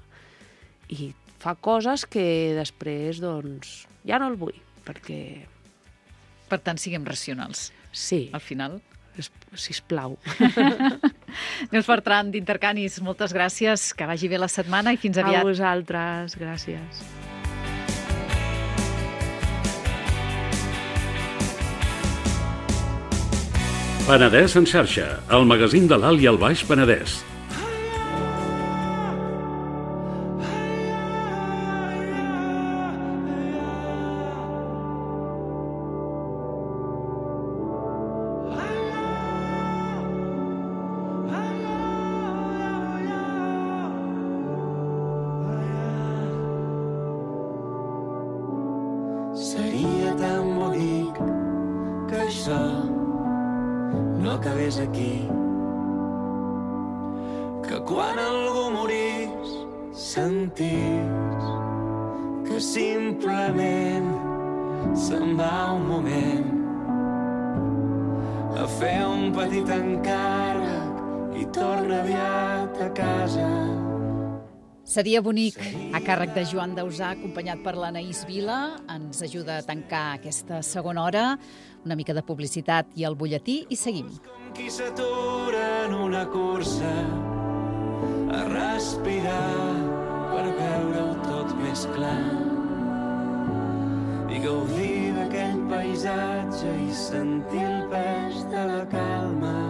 i fa coses que després, doncs, ja no el vull, perquè... Per tant, siguem racionals. Sí. Al final. Sisplau. Neus Bertran, d'Intercanis, moltes gràcies, que vagi bé la setmana i fins aviat. A vosaltres, gràcies. Penedès en xarxa, el magazín de l'Alt i el Baix Penedès. Seria tan bonic que això no acabés aquí, que quan algú morís sentís que simplement se'n va un moment a fer un petit encàrrec i torna aviat a casa. Seria bonic, a càrrec de Joan Dausà, acompanyat per l'Anaïs Vila. Ens ajuda a tancar aquesta segona hora. Una mica de publicitat i el butlletí i seguim. Com qui s'atura en una cursa a respirar per veure-ho tot més clar i gaudir d'aquell paisatge i sentir el pes de la calma.